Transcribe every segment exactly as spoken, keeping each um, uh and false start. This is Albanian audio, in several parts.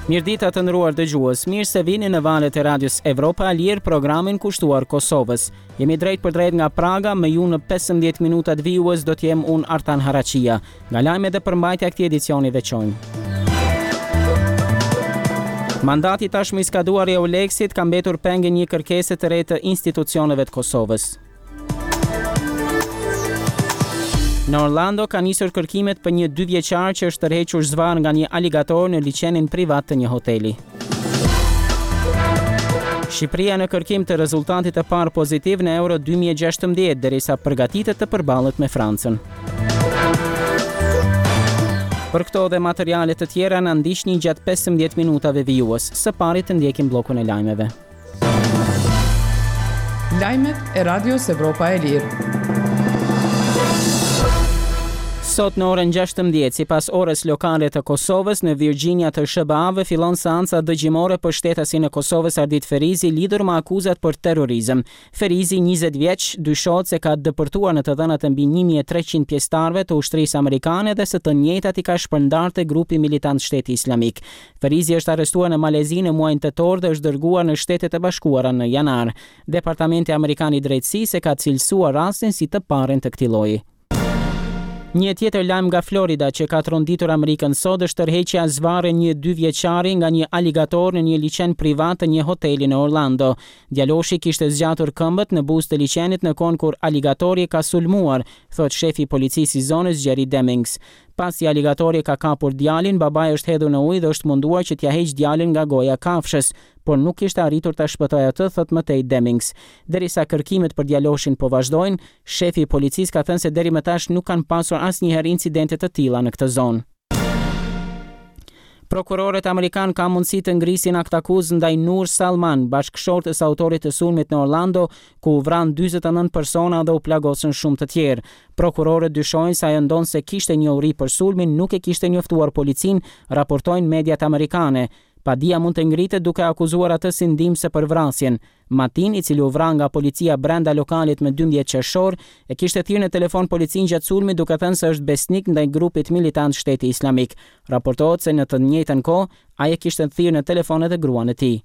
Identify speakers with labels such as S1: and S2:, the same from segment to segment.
S1: Mirëdita, të nderuar dëgjues, mirë se vini në valët e Radios Evropa e Lirë, programin kushtuar Kosovës. Jemi drejtpërdrejt nga Praga, me ju në pesëmbëdhjetë minutat vijues do t'jem unë, Artan Haraqia. Nga lajmet dhe përmbajtja e këtij edicioni veçojmë: Mandati tashmë i skaduar i Eulexit ka mbetur peng i një kërkese të re të institucioneve të Kosovës. Në Orlando ka nisur kërkimet për një dy vjeçar që është tërhequr zvarr nga një aligator në liqenin privat të një hoteli. Shqipëria në kërkim të rezultatit të parë pozitiv në Euro dy mijë e gjashtëmbëdhjetë, derisa përgatitet të përballet me Francën. Për këto dhe materiale të tjera na ndiqni gjatë pesëmbëdhjetë minutave vijues. Së pari të ndjekim bllokun e lajmeve.
S2: Lajmet e Radios Evropa e Lirë.
S1: Sot në orën gjashtëmbëdhjetë, sipas orës lokale të Kosovës, në Virginia të S H B A-ve fillon seanca dëgjimore për shtetasin e Kosovës, Ardit Ferizi, lidhur me akuzat për terrorizëm. Ferizi, njëzet vjeç, dyshohet se ka depërtuar në të dhënat e mbi një mijë e treqind pjesëtarëve të ushtrisë amerikane dhe se të njëjtat i ka shpërndarë te grupi militant Shteti Islamik. Ferizi është arrestuar në Malezi në muajin tetor dhe është dërguar në Shtetet e Bashkuara në janar. Departamenti Amerikan i Drejtësisë e ka cilësuar rastin si të parën të këtij lloji. Një tjetër lajm nga Florida që ka tronditur Amerikën sot është tërheqja zvarrë një dy vjeçari nga një aligator në një liqen privat të një hoteli në Orlando. Djaloshi kishte zgjatur këmbët në buzë të liqenit në kohën kur aligatori ka sulmuar, thot shefi i policisë i zonës, Jerry Demings. Pasi aligatori ka kapur djalin, babai është hedhur në ujë dhe është munduar që t'ia heq djalin nga goja kafshës, por nuk kishte arritur ta shpëtojë atë, thot më tej Demings. Derisa kërkimet për djaloshin po vazhdojnë, shefi i policisë ka thënë se deri më tash nuk kanë pasur asnjëherë incidente të tilla në këtë zonë. Prokurorët amerikan ka mundësi të ngrisin aktakuzë ndaj Nur Salman, bashkëshortës së autorit të sulmit në Orlando, ku u vranë dyzet e nëntë persona dhe u plagosën shumë të tjerë. Prokurorët dyshojnë se ajo, ndonëse kishte njohuri për sulmin, nuk e kishte njoftuar policinë, raportojnë mediat amerikane. Padia mund të ngritet duke akuzuar atë si ndihmëse për vrasjen. Matin, i cili u vra nga policia brenda lokalit me dymbëdhjetë qershor, e kishte thirrë në telefon policinë gjatë sulmit, duke thënë se është besnik ndaj grupit militant Shteti Islamik. Raportohet se në të njëjtën kohë ai e kishte thirrë në telefon edhe gruan e tij.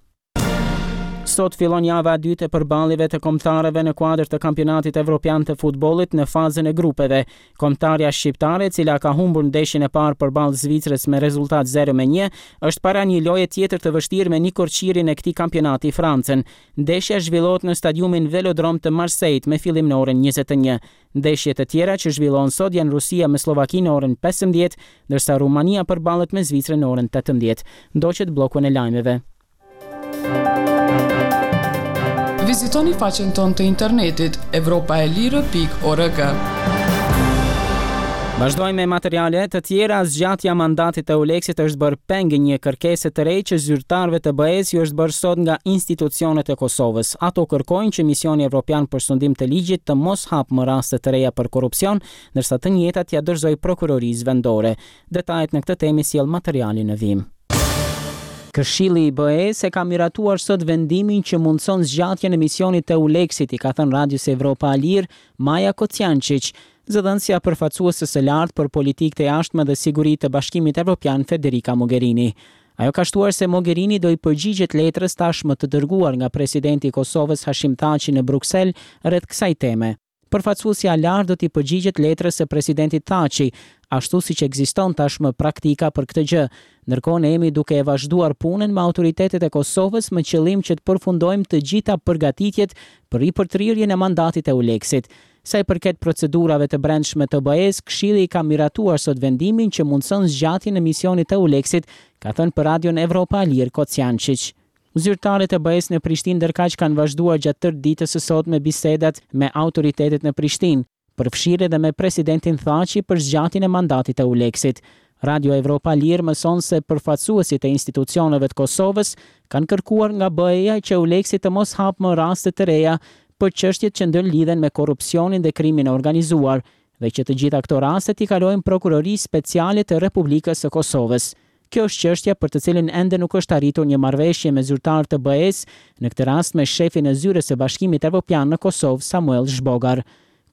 S1: Sot fillon java e dytë e përballjeve të kombëtareve në kuadër të Kampionatit Evropian të Futbollit në fazën e grupeve. Kombëtarja shqiptare, e cila ka humbur ndeshjen e parë përballë Zvicrës me rezultat zero me një, është para një loje tjetër të vështirë me nikoqirin e këtij kampionati, Francën. Ndeshja zhvillohet në stadiumin Velodrom të Marseille me fillim në orën njëzet e një. Ndeshjet e tjera që zhvillohen sot janë Rusia me Slovakinë në orën pesëmbëdhjetë, ndërsa Rumania përballet me Zvicrën në orën tetëmbëdhjetë. Ndoqët bllokun e lajmeve.
S2: Vizitoni faqen tonë të internetit evropaelire pikë org.
S1: Vazhdojmë me materiale të tjera. Zgjatja e mandatit të Eulexit është bërë peng i një kërkese të re që zyrtarëve të B E-s ju është bërë sot nga institucionet e Kosovës. Ato kërkojnë që misioni evropian për sundim të ligjit të mos hapë më raste të reja për korrupsion, ndërsa të njëjtat ja dorëzoj prokurorisë vendore. Detajet në këtë temë sjell materiali në vijim. Këshilli i B E-s e ka miratuar sot vendimin që mundëson zgjatjen e misionit të Eulexit, i ka thënë Radios Evropa e Lirë Maja Kocijančić, zëdhënësja përfaqësuese së lartë për politikë të jashtme dhe siguri të Bashkimit Evropian, Federica Mogherini. Ajo ka shtuar se Mogherini do i përgjigjet letrës tashmë të dërguar nga presidenti i Kosovës, Hashim Thaçi, në Bruksel rreth kësaj teme. Përfaqësuesja e lartë do t'i përgjigjet letrës së presidentit Thaçi, ashtu siç ekziston tashmë praktika për këtë gjë. Ndërkohë, ne jemi duke e vazhduar punën me autoritetet e Kosovës me qëllim që të përfundojmë të gjitha përgatitjet për ripërtrirjen e mandatit të Eulexit. Sa i përket procedurave të brendshme të B E-s, Këshilli ka miratuar sot vendimin që mundëson zgjatjen e misionit të Eulexit, ka thënë për Radion Evropa e Lirë Kocijančić. Zyrtarët e B E-s në Prishtinë ndërkaq kanë vazhduar gjatë tërë ditës së sotme bisedat me autoritetet në Prishtinë, përfshirë edhe me presidentin Thaçi për zgjatjen e mandatit të Eulexit. Radio Evropa e Lirë mëson se përfaqësuesit e institucioneve të Kosovës kanë kërkuar nga B E-ja që Eulexi të mos hapë më raste të reja për çështjet që ndërlidhen me korrupsionin dhe krimin e organizuar dhe që të gjitha këto raste t'i kalojnë Prokurorisë Speciale të Republikës së Kosovës. Kjo është çështja për të cilën ende nuk është arritur një marrëveshje me zyrtarë të B E-s, në këtë rast me shefin e zyrës së Bashkimit Evropian në Kosovë, Samuel Zhbogar.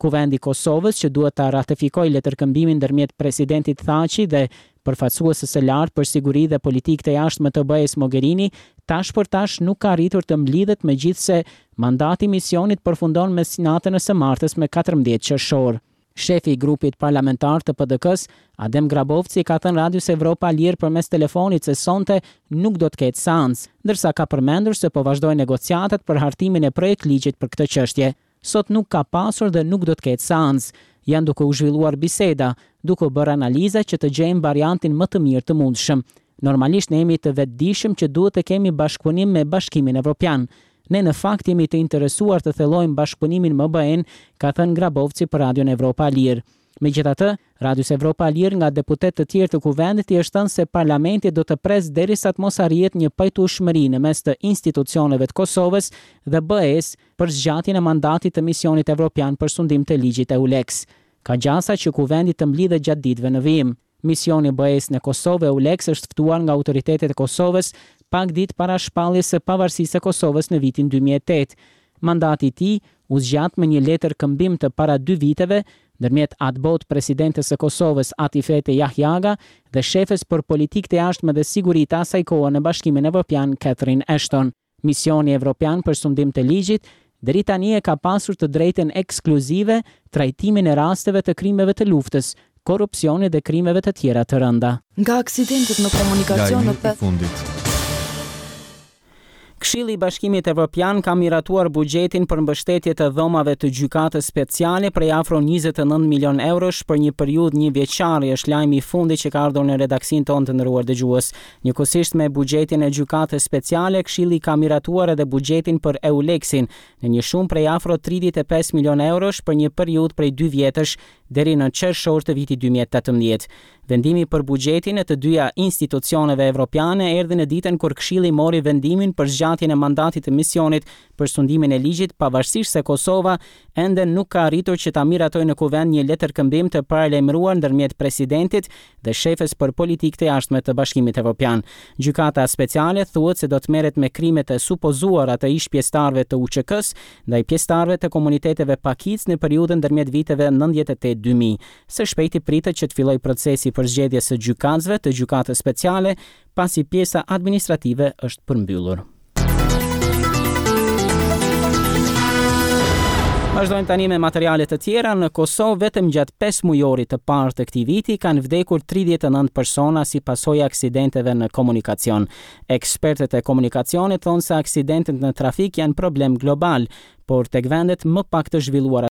S1: Kuvendi i Kosovës, që duhet ta ratifikojë letërkëmbimin ndërmjet presidentit Thaçi dhe Përfaqësueses së lartë për siguri dhe politikë të jashtme të B E-s Mogherini tash për tash nuk ka arritur të mblidhet, megjithëse mandati i misionit përfundon mesnatën e së martës me katërmbëdhjetë qershor. Shefi i grupit parlamentar të P D K-s, Adem Grabovci, ka thënë Radios Evropa Lirë përmes telefonit se sonte nuk do të ketë seancë, ndërsa ka përmendur se po vazhdojnë negociatat për hartimin e projekt ligjit për këtë çështje. Sot nuk ka pasur dhe nuk do të ketë seancë. Janë duke u zhvilluar biseda, duke u bërë analiza që të gjejmë variantin më të mirë të mundshëm. Normalisht ne jemi të vetëdijshëm që duhet të kemi bashkëpunim me Bashkimin Evropian. Ne në fakt jemi të interesuar të thellojmë bashkëpunimin me B E-n, ka thënë Grabovci për Radion Evropa Lirë. Megjithatë, Radios Evropa Lirë nga deputetë të tjerë të kuvendit i është thënë se parlamenti do të presë derisa të mos arrihet një pajtueshmëri në mes të institucioneve të Kosovës dhe B E-s për zgjatjen e mandatit të misionit evropian për sundim të ligjit EULEX. Ka gjasa që kuvendi të mblidhet gjatë ditëve në vijim. Misioni i B E-s në Kosovë EULEX është ftuar nga autoritetet e Kosovës pak ditë para shpalljes së pavarësisë së Kosovës në vitin dy mijë e tetë. Mandati i tij u zgjat me një letër këmbim të para dy viteve ndërmjet atëbotë presidentes së Kosovës Atifete Jahjaga dhe shefes për politikë të jashtme dhe siguri të asaj kohe në Bashkimin Evropian Catherine Ashton. Misioni Evropian për sundim të ligjit deri tani e ka pasur të drejtën ekskluzive trajtimin e rasteve të krimeve të luftës, korrupsionit dhe krimeve të tjera të rënda.
S2: Nga aksidentet në komunikacion në
S3: Lajmi i fundit.
S1: Këshilli i Bashkimit Evropian ka miratuar buxhetin për mbështetje të dhomave të gjykatës speciale prej afro njëzet e nëntë milion eurosh për një periudhë një vjeçare, është lajmi i fundit që ka ardhur në redaksinë tonë të nderuar dëgjues. Njëkohësisht me buxhetin e gjykatës speciale, Këshilli ka miratuar edhe buxhetin për EULEX-in në një shumë prej afro tridhjetë e pesë milion eurosh për një periudhë prej dy vjetësh deri në qershor të vitit dy mijë e tetëmbëdhjetë. Vendimi për buxhetin e të dyja institucioneve evropiane erdhi në ditën kur Këshilli mori vendimin për zgjatjen e mandatit të misionit për sundimin e ligjit, pavarësisht se Kosova ende nuk ka arritur që ta miratojë në kuvend një letërkëmbim të paralajmëruar ndërmjet presidentit dhe shefes për politikë të jashtme të Bashkimit Evropian. Gjykata speciale thuhet se do të merret me krimet e supozuara të ish pjesëtarëve të U Ç K-s ndaj pjesëtarëve të komuniteteve pakicë në periudhën ndërmjet viteve nëntëdhjetë e tetë dy mijë. Së shpejti pritet që të fillojë procesi për zgjedhjes së gjykatësve të gjykatës speciale, pasi pjesa administrative është përmbyllur. Vazhdojmë tani me materiale të tjera. Në Kosovë vetëm gjatë pesë mujorit të parë të këtij viti kanë vdekur tridhjetë e nëntë persona si pasojë e aksidenteve në komunikacion. Ekspertët e komunikacionit thonë se aksidentet në trafik janë problem global, por tek vendet më pak të zhvilluara